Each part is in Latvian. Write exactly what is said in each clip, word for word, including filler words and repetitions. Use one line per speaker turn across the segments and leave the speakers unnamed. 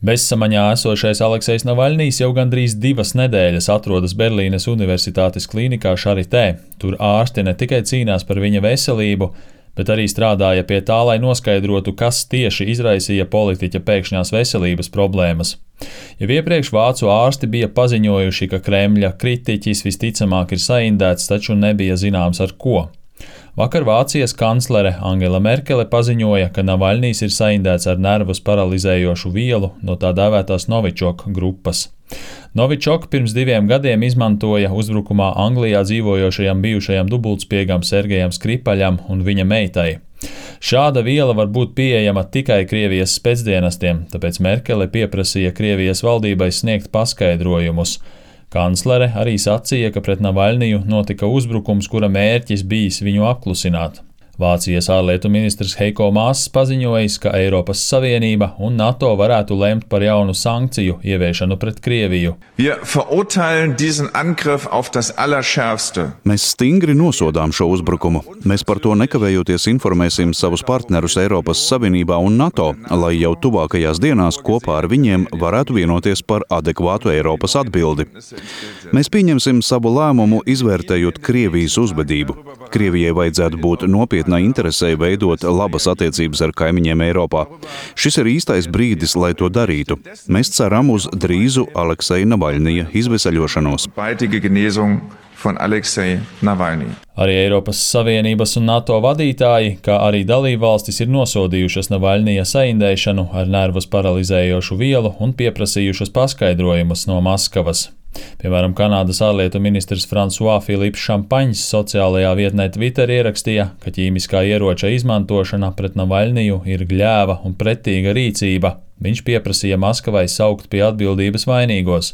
Bezsamaņā esošais Aleksejs Navaļnijs jau gandrīz divas nedēļas atrodas Berlīnes Universitātes klīnikā Charité. Tur ārsti ne tikai cīnās par viņa veselību, bet arī strādāja pie tā, lai noskaidrotu, kas tieši izraisīja politiķa pēkšņās veselības problēmas. Jau iepriekš vācu ārsti bija paziņojuši, ka Kremļa kritiķis visticamāk ir saindēts, taču nebija zināms ar ko. Vakar Vācijas kanclere Angela Merkele paziņoja, ka Navaļnijs ir saindēts ar nervus paralizējošu vielu no tā dēvētās Novičok grupas. Novičok pirms diviem gadiem izmantoja uzbrukumā Anglijā dzīvojošajam bijušajam dubultspiegam Sergejam Skripaļam un viņa meitai. Šāda viela var būt pieejama tikai Krievijas spēcdienestiem, tāpēc Merkele pieprasīja Krievijas valdībai sniegt paskaidrojumus. Kanclere arī sacīja, ka pret Navaļniju notika uzbrukums, kura mērķis bijis viņu apklusināt. Vācijas ārlietu ministrs Heiko Maass paziņojis, ka Eiropas Savienība un NATO varētu lemt par jaunu sankciju ieviešanu pret Krieviju.
Mēs stingri nosodām šo uzbrukumu. Mēs par to nekavējoties informēsim savus partnerus Eiropas Savienībā un NATO, lai jau tuvākajās dienās kopā ar viņiem varētu vienoties par adekvātu Eiropas atbildi. Mēs pieņemsim savu lēmumu, izvērtējot Krievijas uzvedību. Krievijai vajadzētu būt nopietnai interesei veidot labas attiecības ar kaimiņiem Eiropā. Šis ir īstais brīdis, lai to darītu. Mēs ceram uz drīzu Alekseja Navaļnija izveseļošanos.
Arī Eiropas Savienības un NATO vadītāji, kā arī dalībvalstis ir nosodījušas Navaļnija saindēšanu ar nervus paralizējošu vielu un pieprasījušas paskaidrojumus no Maskavas. Piemēram, Kanādas ārlietu ministrs François Philips Champagne sociālajā vietnē Twitter ierakstīja, ka ķīmiskā ieroča izmantošana pret Navaļniju ir gļēva un pretīga rīcība. Viņš pieprasīja Maskavai saukt pie atbildības vainīgos.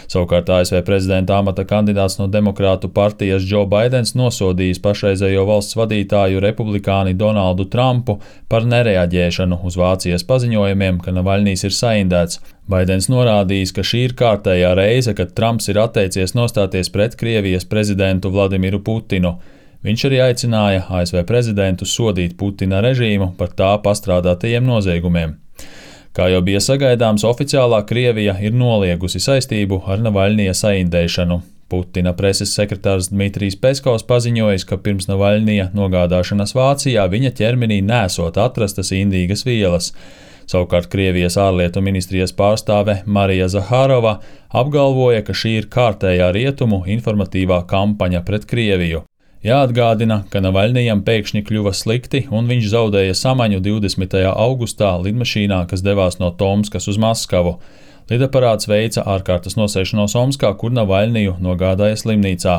Savukārt A S V prezidenta amata kandidāts no Demokrātu partijas Joe Baidens nosodījis pašreizējo valsts vadītāju republikāni Donaldu Trumpu par nereaģēšanu uz Vācijas paziņojumiem, ka Navaļnijs ir saindēts. Baidens norādījis, ka šī ir kārtējā reize, kad Trumps ir atteicies nostāties pret Krievijas prezidentu Vladimiru Putinu. Viņš arī aicināja A S V prezidentu sodīt Putina režīmu par tā pastrādātajiem noziegumiem. Kā jau bija sagaidāms, oficiālā Krievija ir noliegusi saistību ar Navaļnija saindēšanu. Putina preses sekretārs Dmitrijs Peskovs paziņojis, ka pirms Navaļnija nogādāšanas Vācijā viņa ķermenī nesot atrastas indīgas vielas. Savukārt Krievijas ārlietu ministrijas pārstāve Marija Zahārova apgalvoja, ka šī ir kārtējā rietumu informatīvā kampaņa pret Krieviju. Jāatgādina, ka Navaļnijam pēkšņi kļuva slikti un viņš zaudēja samaņu divdesmitajā augustā lidmašīnā, kas devās no Tomskas uz Maskavu. Lidaparāts veica ārkārtas nosēšanos Omskā, kur Navaļniju nogādāja slimnīcā.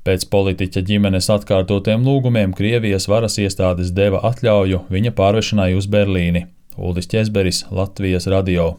Pēc politiķa ģimenes atkārtotiem lūgumiem Krievijas varas iestādes deva atļauju viņa pārvešanai uz Berlīni. Uldis Ķezberis, Latvijas radio.